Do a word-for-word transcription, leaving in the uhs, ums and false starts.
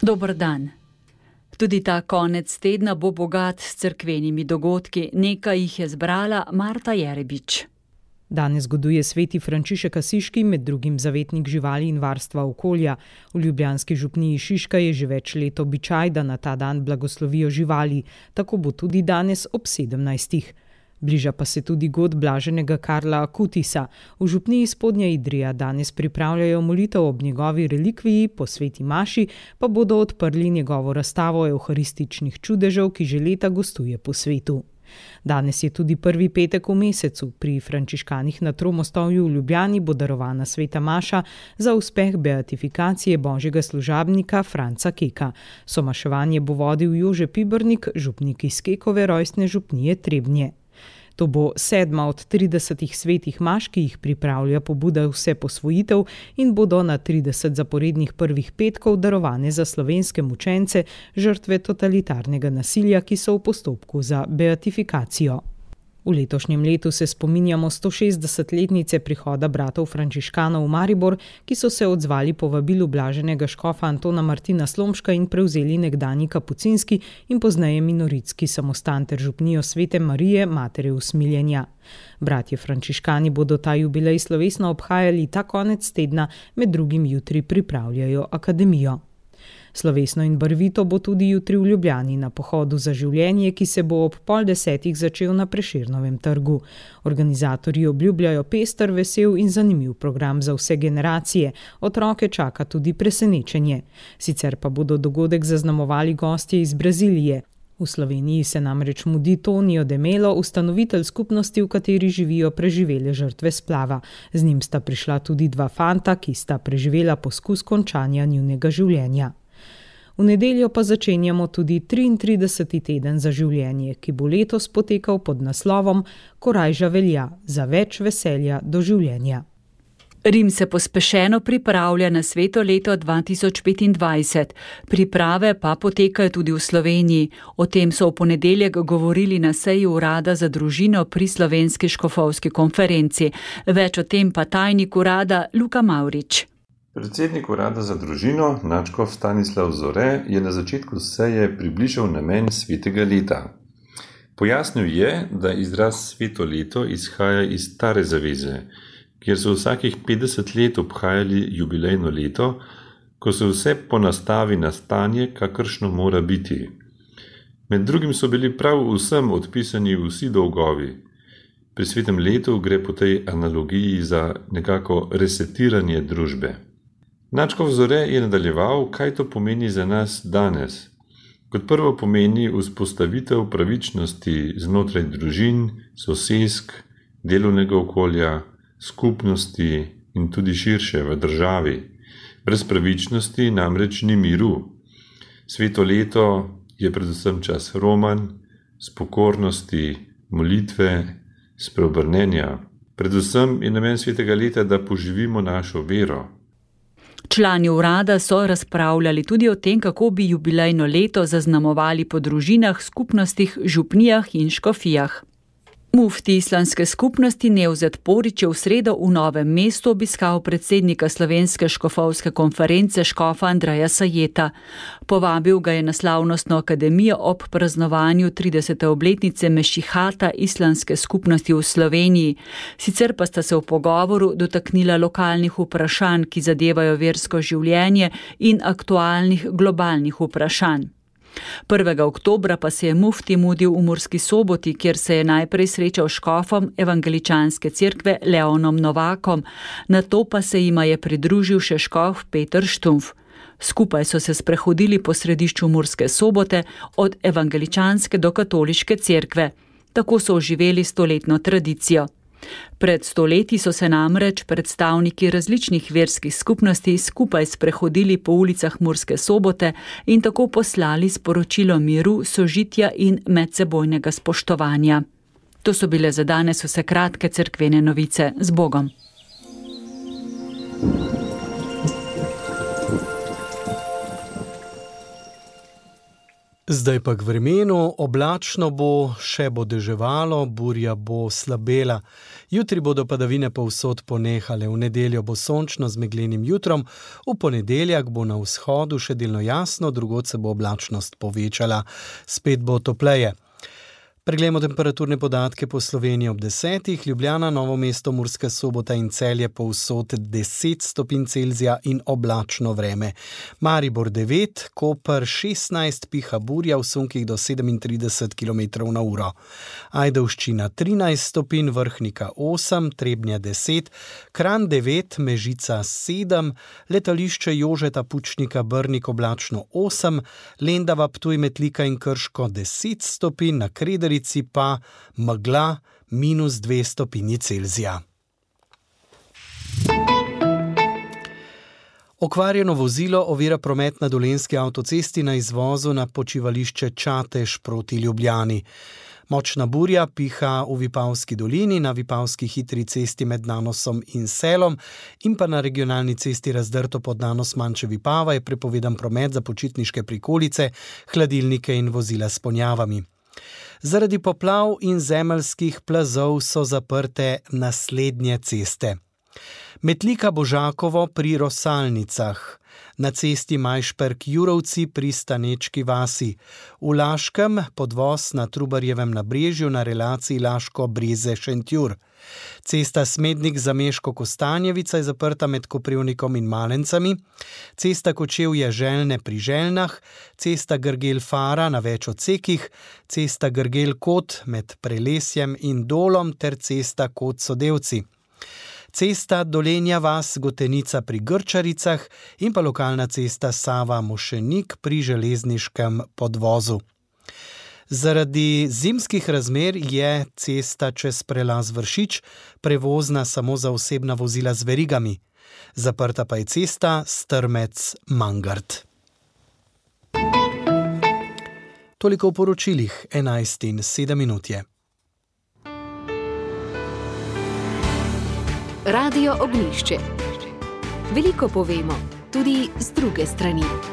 Dober dan. Tudi ta konec tedna bo bogat s cerkvenimi dogodki. Nekaj jih je zbrala Marta Jerebič. Danes goduje sveti Frančišek Asiški, med drugim zavetnik živali in varstva okolja. V ljubljanski župniji Šiška je že več let običaj, da na ta dan blagoslovijo živali. Tako bo tudi danes ob sedemnajstih. Bliža pa se tudi god blaženega Karla Akutisa. V župniji Spodnja Idrija danes pripravljajo molitev ob njegovi relikviji, po sveti maši pa bodo odprli njegovo razstavo evharističnih čudežev, ki že leta gostuje po svetu. Danes je tudi prvi petek v mesecu. Pri frančiškanih na Tromostovju v Ljubljani bo darovana sveta maša za uspeh beatifikacije božjega služabnika Franca Keka. Somaševanje bo vodil Jože Pibernik, župnik iz Kekove rojstne župnije Trebnje. To bo sedma od tridesetih svetih maš, ki jih pripravlja pobuda Vse posvojitev in bodo na trideset zaporednih prvih petkov darovane za slovenske mučence, žrtve totalitarnega nasilja, ki so v postopku za beatifikacijo. V letošnjem letu se spominjamo stošestdesetletnice prihoda bratov frančiškanov v Maribor, ki so se odzvali povabilu blaženega škofa Antona Martina Slomška in prevzeli nekdanji kapucinski in pozneje minoritski samostan ter župnijo Svete Marije, matere usmiljenja. Bratje frančiškani bodo ta jubilej slovesno obhajali ta konec tedna, med drugim jutri pripravljajo akademijo. Slovesno in barvito bo tudi jutri v Ljubljani na pohodu za življenje, ki se bo ob pol desetih začel na Prešernovem trgu. Organizatorji obljubljajo pester, vesel in zanimiv program za vse generacije. Otroke čaka tudi presenečenje. Sicer pa bodo dogodek zaznamovali gostje iz Brazilije. V Sloveniji se namreč mudi Tonio de Melo, ustanovitelj skupnosti, v kateri živijo preživele žrtve splava. Z njim sta prišla tudi dva fanta, ki sta preživela poskus končanja njunega življenja. V nedeljo pa začenjamo tudi triintrideseti teden za življenje, ki bo letos potekal pod naslovom Korajža velja, za več veselja do življenja. Rim se pospešeno pripravlja na sveto leto dva tisoč petindvajset. Priprave pa potekajo tudi v Sloveniji. O tem so v ponedeljek govorili na seji urada za družino pri Slovenski škofovski konferenci. Več o tem pa tajnik urada Luka Mavrič. Predsednik urada za družino, nadškof Stanislav Zore, je na začetku seje približal namen svetega leta. Pojasnil je, da izraz sveto leto izhaja iz stare zaveze, kjer so vsakih petdeset let obhajali jubilejno leto, ko se vse ponastavi na stanje, kakršno mora biti. Med drugim so bili prav vsem odpisani vsi dolgovi. Pri svetem letu gre po tej analogiji za nekako resetiranje družbe. Nadškof Zore je nadaljeval, kaj to pomeni za nas danes. Kot prvo pomeni vzpostavitev pravičnosti znotraj družin, sosesk, delovnega okolja, skupnosti in tudi širše v državi. Brez pravičnosti namreč ni miru. Sveto leto je predvsem čas romanj, spokornosti, molitve, spreobrnenja. Predvsem je namen svetega leta, da poživimo našo vero. Člani urada so razpravljali tudi o tem, kako bi jubilejno leto zaznamovali po družinah, skupnostih, župnijah in škofijah. Mufti islamske skupnosti Nevzet Porić je v sredo v Novem mestu obiskal predsednika Slovenske škofovske konference škofa Andreja Sajeta. Povabil ga je na slavnostno akademijo ob praznovanju tridesete obletnice mešihata islamske skupnosti v Sloveniji. Sicer pa sta se v pogovoru dotaknila lokalnih vprašanj, ki zadevajo versko življenje in aktualnih globalnih vprašanj. prvega oktobra pa se je mufti mudil v Murski Soboti, kjer se je najprej srečal s škofom evangeličanske cerkve Leonom Novakom, nato pa se jima je pridružil še škof Peter Štumf. Skupaj so se sprehodili po središču Murske Sobote od evangeličanske do katoliške cerkve. Tako so oživeli stoletno tradicijo. Pred stoletji so se namreč predstavniki različnih verskih skupnosti skupaj sprehodili po ulicah Murske Sobote in tako poslali sporočilo miru, sožitja in medsebojnega spoštovanja. To so bile za danes vse kratke cerkvene novice. Z Bogom! Zdaj pa k vremenu, oblačno bo, še bo deževalo, burja bo slabela. Jutri bodo padavine povsod ponehale, v nedeljo bo sončno z meglenim jutrom, v ponedeljak bo na vzhodu še delno jasno, drugod se bo oblačnost povečala, spet bo topleje. Preglejmo temperaturne podatke po Sloveniji ob desetih, Ljubljana, Novo mesto, Murska Sobota in Celje povsod deset stopinj Celzija in oblačno vreme. Maribor devet, Koper šestnajst, piha burja v sunkih do sedemintrideset kilometrov na uro. Ajdovščina trinajst stopinj, Vrhnika osem, Trebnje deset, Kranj devet, Mežica sedem, letališče Jožeta Pučnika Brnik oblačno osem, Lendava, Ptuj, Metlika in Krško deset stopinj, na Krederici pa megla minus dve stopinji Celzija. Okvarjeno vozilo ovira promet na Dolenjski avtocesti na izvozu na počivališče Čatež proti Ljubljani. Močna burja piha v Vipavski dolini, na Vipavski hitri cesti med Nanosom in Selom in pa na regionalni cesti Razdrto pod Nanos Manjše Vipava je prepovedan promet za počitniške prikolice, hladilnike in vozila s ponjavami. Zaradi poplav in zemeljskih plazov so zaprte naslednje ceste. Metlika Božakovo pri Rosalnicah, na cesti Majšperk-Jurovci pri Stanečki vasi, v Laškem podvoz na Trubarjevem nabrežju na relaciji Laško-Breze-Šentjur. Cesta Smednik-Zameško-Kostanjevica je zaprta med Koprivnikom in Malencami, cesta Kočevje-Želne pri Želnah, cesta Grgel-Fara na več odsekih, cesta Grgel-Kot med Prelesjem in Dolom ter cesta Kot-Sodevci. Cesta Dolenja vas Gotenica pri Grčaricah in pa lokalna cesta Sava-Mošenik pri železniškem podvozu. Zaradi zimskih razmer je cesta čez prelaz Vršič prevozna samo za osebna vozila z verigami. Zaprta pa je cesta Strmec-Mangart. Toliko v poročilih, enajst in sedem minut je. Radio Ognjišče. Veliko povemo, tudi z druge strani.